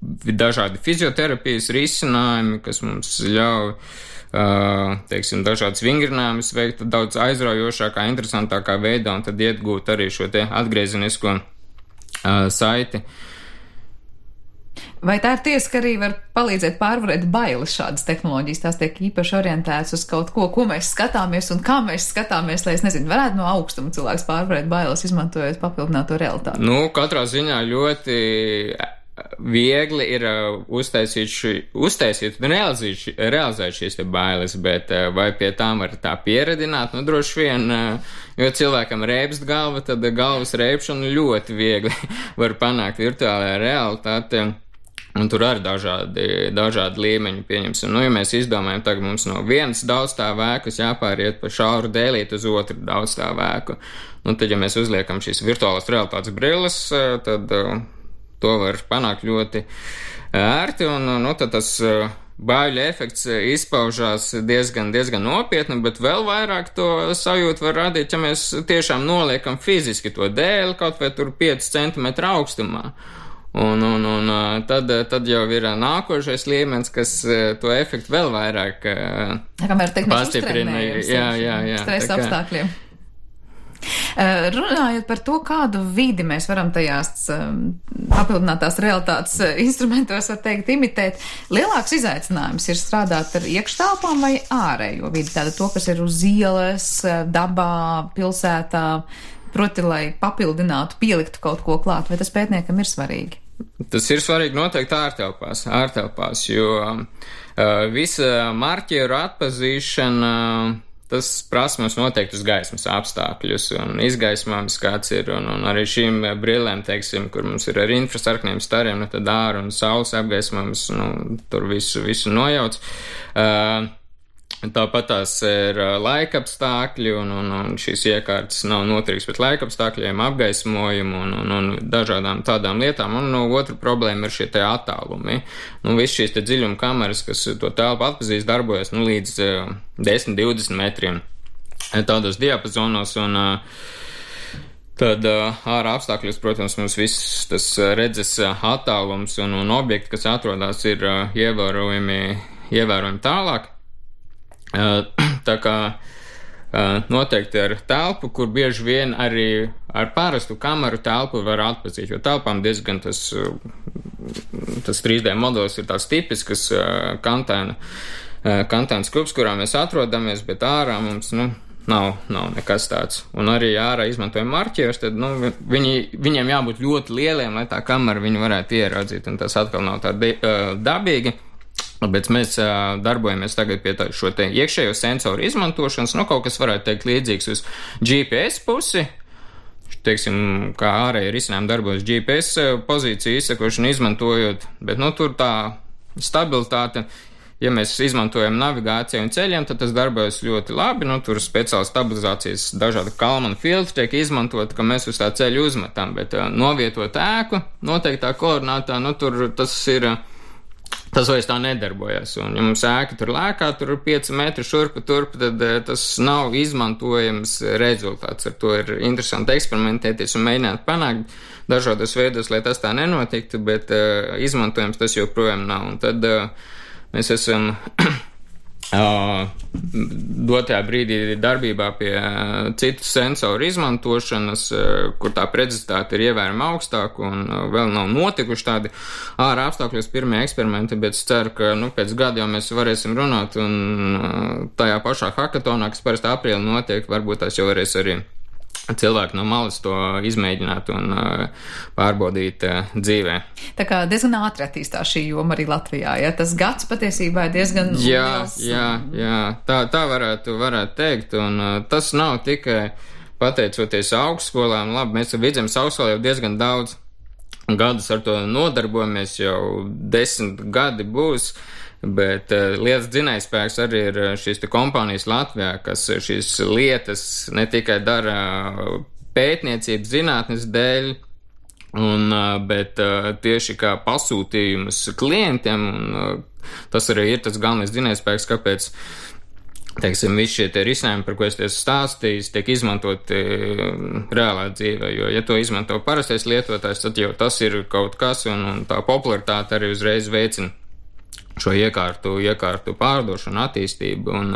dažādi fizioterapijas risinājumi, kas mums ļauj, uh, teiksim, dažādas vingrinājumus veikt daudz aizraujošākā, interesantākā veidā, un tad iegūt arī šo te atgriezenisko uh, saiti. Vai tā ir tiesa, ka arī var palīdzēt pārvarēt bailes šādas tehnoloģijas? Tās tiek īpaši orientētas uz kaut ko, ko mēs skatāmies un kā mēs skatāmies, lai es nezinu, varētu no augstuma cilvēks pārvarēt bailes, izmantojot papildināto realitāti? Nu, katrā ziņā ļoti viegli ir uztaisīt, ši, uztaisīt un realizēt, realizēt šīs te bailes, bet vai pie tām var tā pieredināt? Nu, droši vien, jo cilvēkam reibst galva, tad galvas reibšanu ļoti viegli var panākt virtuālajā realitātē. Un tur arī dažādi, dažādi līmeņi, pieņemsim. Nu, ja mēs izdomājam, tagad mums no vienas daudzstāvu ēkas jāpāriet pa šauru dēlīti uz otru daudzstāvu ēku. Nu, tad, ja mēs uzliekam šīs virtuālās realitātes brilles, tad uh, to var panākt ļoti ērti, un nu, tad tas uh, baiļu efekts izpaužās diezgan, diezgan nopietni, bet vēl vairāk to sajūtu var radīt, ja mēs tiešām noliekam fiziski to dēli kaut vai tur pieci centimetri augstumā. Un, un, un tad, tad jau ir nākošais līmenis, kas to efektu vēl vairāk pastiprina. Jā, jā, jā. Stresa apstākļiem. Runājot par to, kādu vidi mēs varam tajās papildinātās realitātes instrumentos, var teikt, imitēt, lielāks izaicinājums ir strādāt ar iekštelpām vai ārējo vidi, tāda to, kas ir uz ielas, dabā, pilsētā, proti, lai papildinātu, pieliktu kaut ko klāt, vai tas pētniekam ir svarīgi? Tas ir svarīgi noteikti ārtelpās, ārtelpās, jo uh, visa marķieru atpazīšana, tas prasa mums noteikti uz gaismas apstākļus un izgaismāms kāds ir, un, un arī šīm brillēm, teiksim, kur mums ir ar infrasarkniem stariem, nu tad āra un saules apgaismāms, nu, tur visu, visu nojauc. Uh, Tāpat tās ir laika apstākļi, un, un, un šīs iekārtas nav noturīgas pret laika apstākļiem, apgaismojumu un, un, un dažādām tādām lietām. Un no otra problēma ir šie te attālumi. Nu, viss šīs te dziļuma kameras, kas to telpu atpazīst, darbojas nu, līdz uh, desmit divdesmit metriem tādos diapazonos, un uh, tad uh, ārā apstākļos, protams, mums viss tas redzes attālums un, un objekti, kas atrodas, ir uh, ievērojami, ievērojami tālāk. Tā kā noteikti ar telpu, kur bieži vien arī ar parastu kameru telpu var atpazīt, jo telpām diezgan tas, tas trīs D modelis ir tāds tipisks kantēna, kantēns klubs, kurā mēs atrodamies, bet ārā mums, nu, nav, nav nekas tāds. Un arī ārā izmantojam marķierus, tad, nu, viņi, viņiem jābūt ļoti lieliem, lai tā kamera viņu varētu ieraudzīt, un tas atkal nav tā dabīgi. Bet mēs uh, darbojamies tagad pie tā, šo te iekšējo sensoru izmantošanas, nu kaut kas varētu teikt līdzīgs uz G P S pusi, teiksim, kā ārēji risinājumi darbojas G P S pozīciju izsakošanu izmantojot, bet nu tur tā stabilitāte, ja mēs izmantojam navigāciju un ceļiem, tad tas darbojas ļoti labi, nu tur speciāli stabilizācijas dažādi Kalmana filtri tiek izmantot, ka mēs uz tā ceļu uzmetam, bet uh, novietot ēku noteiktā koordinātā, nu tur tas ir... Tas vairs tā nedarbojas, un ja mums ēka tur lēkā, tur ir pieci metri šurpa turpa, tad tas nav izmantojams rezultāts. Ar to ir interesanti eksperimentēties un mēģināt panākt dažādos veidos, lai tas tā nenotiktu, bet uh, izmantojams tas joprojām nav. Un tad uh, mēs esam uh, dotajā brīdī darbībā pie uh, citu sensoru izmantošanas, uh, kur tā precizitāte ir ievērojami augstāka un uh, vēl nav notikuši tādi ārā apstākļos pirmie eksperimenti, bet es ceru, ka nu, pēc gada jau mēs varēsim runāt un uh, tajā pašā hackathonā, kas parasti aprīlī notiek, varbūt tās jau varēs arī cilvēki no malas to izmēģināt un uh, pārbaudīt uh, dzīvē. Tā kā diezgan ātri attīstās šī joma arī Latvijā, ja? Tas gads patiesībā ir diezgan jā, liels. Jā, jā, tā, tā varētu, varētu teikt, un uh, tas nav tikai pateicoties augstskolām. Labi, mēs ar Vidzemes augstskolā jau diezgan daudz gadus ar to nodarbojamies, jau desmit gadi būs, bet uh, lietas dzinējspēks arī ir šīs te kompānijas Latvijā, kas šīs lietas ne tikai dara pētniecības zinātnes dēļ, un, uh, bet uh, tieši kā pasūtījumus klientiem, un uh, tas arī ir tas galvenais dzinējspēks, kāpēc, teiksim, visi šie te risinājumi, par ko es tiesu stāstījis, tiek izmantoti reālā dzīvē, jo, ja to izmanto parastais lietotājs, tad jau tas ir kaut kas, un, un tā popularitāte arī uzreiz veicina šo iekārtu, iekārtu pārdošanu, attīstību. Un,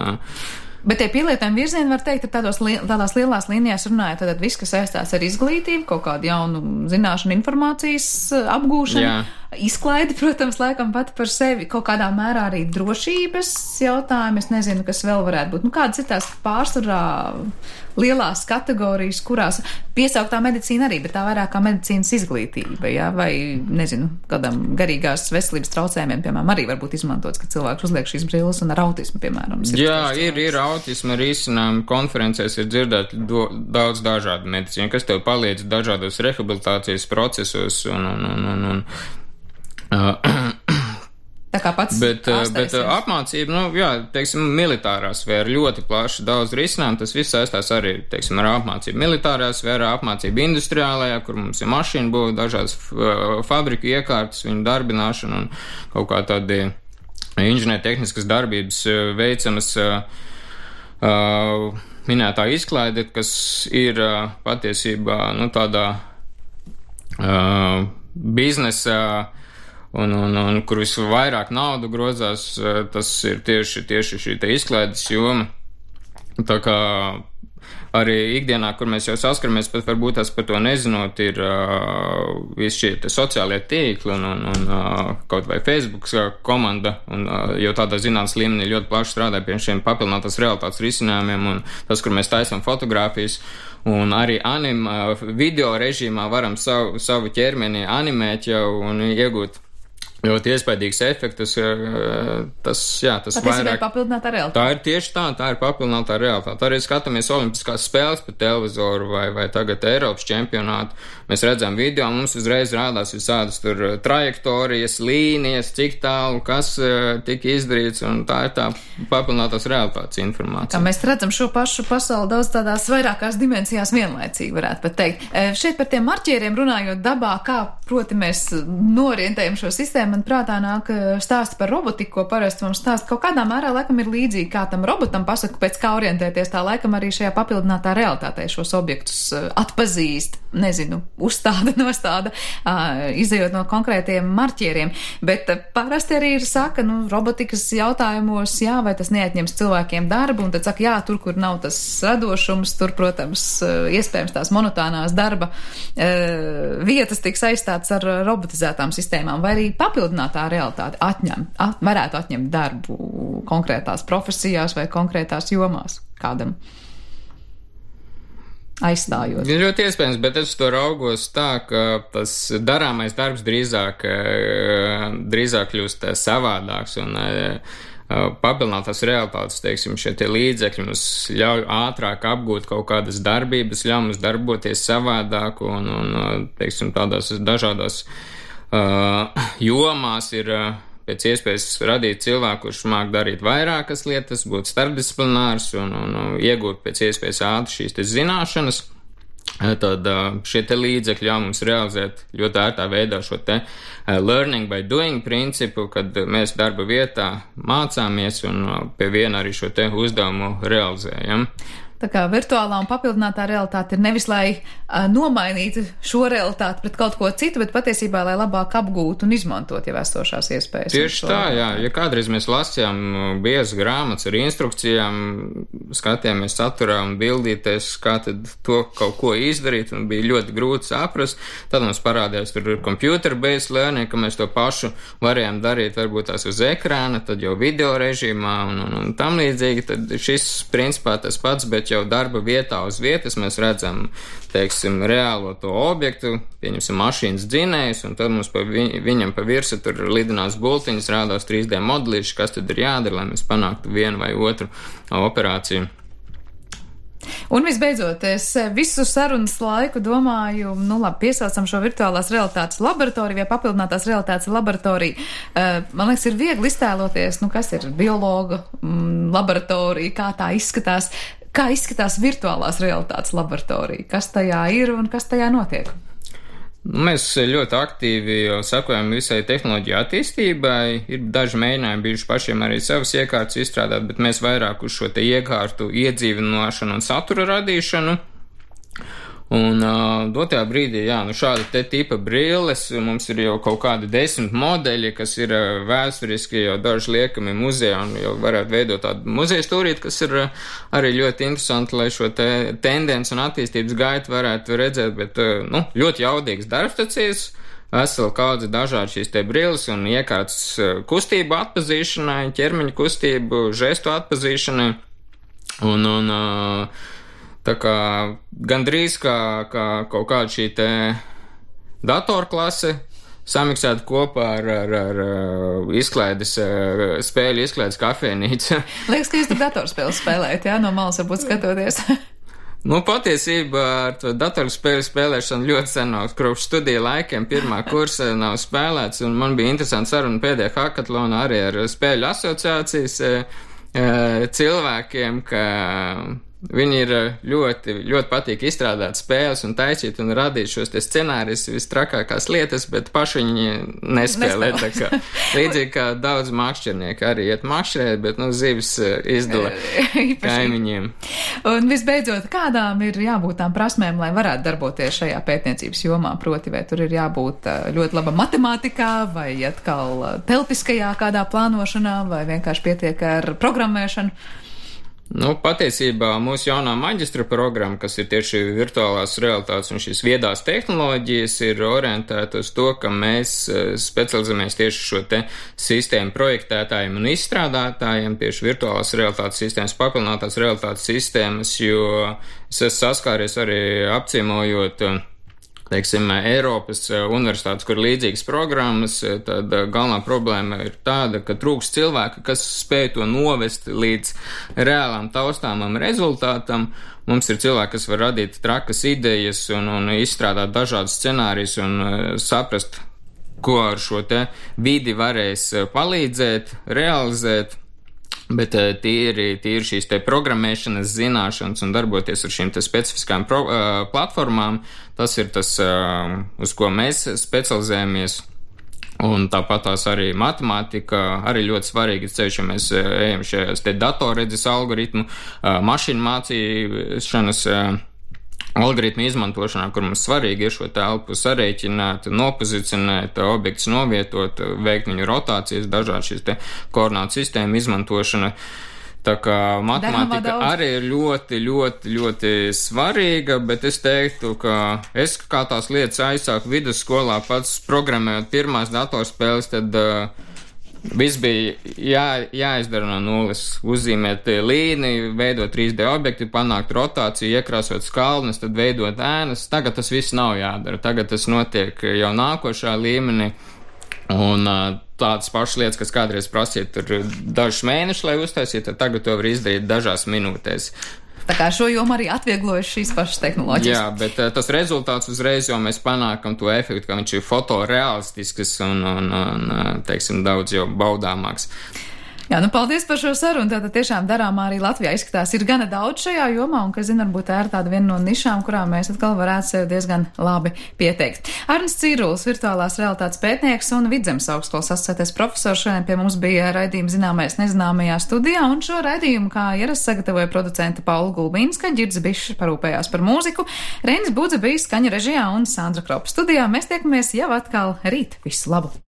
bet tie pielietojumi virzieni, var teikt, ir tādos, tādās lielās līnijās runājot, tad viss, kas saistās ar izglītību, kaut kādu jaunu zināšanu, informācijas apgūšanu, jā. Izklaidi, protams, laikam pati par sevi, kaut kādā mērā arī drošības jautājumi, es nezinu, kas vēl varētu būt. Nu, kādas ir tās pārsvarā lielās kategorijas, kurās piesauktā medicīna arī, bet tā vairāk kā medicīnas izglītība, jā, vai, nezinu, kādam garīgās veselības traucējumiem, piemēram, arī varbūt izmantots, ka cilvēks uzliek šīs brilles un ar autismu, piemēram. Jā, ir, ir autisma risinājumi, konferencēs ir dzirdēt do, daudz dažādu medicīnu, kas tev palīdz dažādos rehabilitācijas procesos un, un, un, un, un uh, tā kā pats bet, bet apmācība, nu, jā, teiksim, militārā sfēra ļoti plaši, daudz risinājumu, tas viss saistās arī, teiksim, ar apmācību militārā sfērā, apmācību industriālajā, kur mums ir mašīna būva, dažādas fabriku iekārtas, viņu darbināšana un kaut kā tādi inženiertehniskas darbības veicamas uh, minētā izklaide, kas ir uh, patiesībā, nu, tādā uh, biznesa Un, un, un kur visvairāk naudu grozās, tas ir tieši, tieši šī te izklaides joma. Tā kā arī ikdienā, kur mēs jau saskaramies, pat varbūt tās par to nezinot, ir uh, visi šie te sociālie tīkli un, un, un uh, kaut vai Facebook komanda, un uh, jau tādā zinātnes līmenī ļoti plaši strādā pie šiem papildinātās realitātes risinājumiem, un tas, kur mēs taisam fotogrāfijas, Un arī anim, video režīmā varam savu, savu ķermeni animēt jau un iegūt ļoti iespaidīgs efektus. Tas, jā, tas vairāk. Papildinātā realitāte. Tā ir tieši tā, tā ir papildinātā realitāte. Arī skatāmies olimpiskās spēles pa televizoru vai, vai tagad Eiropas čempionātu. Mēs redzam video, mums uzreiz rādās visādas tur trajektorijas, līnijas, cik tālu, kas tika izdarīts, un tā ir tā papildinātās realitātes informācija. Kā mēs redzam šo pašu pasauli daudz tādās vairākās dimensijās vienlaicīgi, varētu pat teikt. Šeit par tiem marķieriem runājot dabā, kā, proti, mēs norientējam šo sistēmu, man prātā nāk stāsti par robotiku, ko parasti mums stāst. Kaut kādā mērā laikam ir līdzīgi, kā tam robotam pasaka, pēc kā orientēties, tā laikam arī šajā papildinātā realitātē šos objektus atpazīst, nezinu, uzstāda, nostāda, izejot no konkrētiem marķieriem. Bet parasti arī ir saka, nu, robotikas jautājumos, jā, vai tas neatņems cilvēkiem darbu, un tad saka, jā, tur, kur nav tas radošums, tur, protams, iespējams tās monotānās darba vietas tiks aizstāts ar robotizētām sistēmām, vai arī papildinātā realitāte atņem, at, varētu atņemt darbu konkrētās profesijās vai konkrētās jomās kādam aizstājot. Ļoti iespējams, bet es to raugos tā, ka tas darāmais darbs drīzāk, drīzāk kļūst savādāks un papildinātās realitātes, teiksim, šie tie līdzekļi mums ļauj ātrāk apgūt kaut kādas darbības, ļauj mums darboties savādāk un, un teiksim, tādās dažādās Uh, jomās ir uh, pēc iespējas radīt cilvēku, kurš māk darīt vairākas lietas, būt starpdisciplinārs un, un, un iegūt pēc iespējas ātri šīs te zināšanas. Tad uh, šie te līdzekļi ļauj mums realizēt ļoti ērtā veidā šo te uh, learning by doing principu, kad mēs darba vietā mācāmies un uh, pie viena arī šo te uzdevumu realizējam. Tā kā virtuālā un papildinātā realitāte ir nevis, lai uh, nomainītu šo realitāti pret kaut ko citu, bet patiesībā, lai labāk apgūtu un izmantot jau esošās iespējas. Tieši tā, jā. Ja kādreiz mēs lasījām biezas grāmatas ar instrukcijām, skatījāmies saturā un bildīties, kā tad to kaut ko izdarīt, un bija ļoti grūti saprast, tad mums parādījās tur computer-based learning, ka mēs to pašu varējām darīt varbūt tās uz ekrāna, tad jau video režīmā un, un, un tam līdzīgi, tad šis principā tas pats, bet jau darba vietā uz vietas mēs redzam, teiksim, reālo to objektu, pieņemsim mašīnas dzinējus, un tad mums pa vi, viņam pa virsu tur lidinās bultiņas, rādās trīs D modelīši, kas tad ir jādara, lai mēs panāktu vienu vai otru operāciju. Un visbeidzot, es visu sarunas laiku domāju, nu labi, piesaucam šo virtuālās realitātes laboratoriju vai papildinātās realitātes laboratoriju. Man liekas, ir viegli iztēloties, nu kas ir biologa mm, laboratorija, kā tā izskatās. Kā izskatās virtuālās realitātes laboratorija? Kas tajā ir un kas tajā notiek? Mēs ļoti aktīvi sekojam visai tehnoloģiju attīstībai. Ir daži mēģinājumi bijuši pašiem arī savas iekārtas izstrādāt, bet mēs vairāk uz šo te iekārtu iedzīvināšanu un satura radīšanu. Un uh, dotajā brīdī, jā, nu šāda te tipa brilles, mums ir jau kaut kādi desmit modeļi, kas ir uh, vēsturiski jau daži liekami muzejā un jau varētu veidot tādu muzeja stūrīti, kas ir uh, arī ļoti interesanti, lai šo te tendenci un attīstības gaitu varētu redzēt, bet, uh, nu, ļoti jaudīgs darbstacijas, vesela kaudze dažādi šīs te brilles un iekārtas uh, kustību atpazīšanai, ķermeņa kustību, žestu atpazīšanai un, un uh, tā kā gandrīz kā, kā kaut kāda šī te datorklase samiksēta kopā ar, ar, ar izklaides, spēļu izklaides kafejnīcu. Liekas, ka jūs tur datorspēles spēlējat, jā, no malas varbūt skatoties. Nu, patiesībā ar to datorspēļu spēlēšanu ļoti sen nav, kopš studiju laikiem pirmā kursa nav spēlēts, un man bija interesanti saruna pēdējā hackathonā arī ar spēļu asociācijas cilvēkiem, ka viņi ir ļoti, ļoti patīk izstrādāt spēles un taisīt un radīt šos te scenārijus vistrakākās lietas, bet paši viņi nespēlē. Tā kā, līdzīgi kā daudz makšķernieki arī iet makšķerēt, bet, nu, zivis izdala kaimiņiem. Un visbeidzot, kādām ir jābūt tām prasmēm, lai varētu darboties šajā pētniecības jomā? Proti, vai tur ir jābūt ļoti laba matemātikā, vai atkal telpiskajā kādā plānošanā, vai vienkārši pietiek ar programmēšanu? Nu, patiesībā mūsu jaunā maģistra programma, kas ir tieši virtuālās realitātes un šīs viedās tehnoloģijas, ir orientēta uz to, ka mēs specializējamies tieši šo te sistēmu projektētājiem un izstrādātājiem, tieši virtuālās realitātes sistēmas, papildinātās realitātes sistēmas, jo es esmu saskāries arī apciemojot teiksim, Eiropas universitātes, kur ir līdzīgas programmas, tad galvenā problēma ir tāda, ka trūks cilvēka, kas spēj to novest līdz reālām taustāmam rezultātam. Mums ir cilvēki, kas var radīt trakas idejas un, un izstrādāt dažādus scenārijus un saprast, ko ar šo te vidi varēs palīdzēt, realizēt. Bet tīri, tīri šīs te programmēšanas zināšanas un darboties ar šīm te specifiskām pro, uh, platformām, tas ir tas, uh, uz ko mēs specializējamies. Un tāpat tās arī matemātika, arī ļoti svarīgi ceļš, ja mēs uh, ejam šajās te datorredzes algoritmu, uh, mašīnu mācīšanas uh, algoritmu izmantošanā, kur mums svarīgi ir šo telpu sarēķināt, nopozicionēt, objektus novietot, veikt viņu rotācijas, dažādi šīs te koordinātu sistēmu izmantošana. Tā kā matemātika arī ir ļoti, ļoti, ļoti svarīga, bet es teiktu, ka es kā tās lietas aizsāku vidusskolā pats programmējot pirmās datorspēles, tad uh, viss bija jā, jāizdara no nulles, uzzīmēt līniju, veidot trīs D objektu, panākt rotāciju, iekrāsot skalnes, tad veidot ēnas. Tagad tas viss nav jādara, tagad tas notiek jau nākošā līmenī. Un tādas pašas lietas, kas kādreiz prasīja tur dažus mēnešus, lai uztaisītu, tagad to var izdarīt dažās minūtēs. Tā kā šo jomu arī atvieglojuši šīs pašas tehnoloģijas. Jā, bet uh, tas rezultāts uzreiz jau mēs panākam to efektu, ka viņš ir fotorealistisks un, un, un teiksim, daudz jau baudāmāks. Jā, nu paldies par šo sarunu. Tātad tiešām darāmā arī Latvijā izskatās ir gana daudz šajā jomā, un, kas zina, varbūt tā ir tāda viena no nišām, kurām mēs atkal varētu sev diezgan labi pieteikt. Arnis Cīrulis, virtuālās realitātes pētnieks un Vidzemes augstskolas asociētais profesors, šodien pie mums bija raidījuma Zināmais nezināmajā studijā, un šo raidījumu, kā ierasts, sagatavoja producente Paula Gulbīnska, Ģirds Bišs parūpējās par mūziku, Reinis Budze bija skaņu režijā un Sandra Kropa studijā. Mēs tiekamies jau atkal rīt. Visu labu!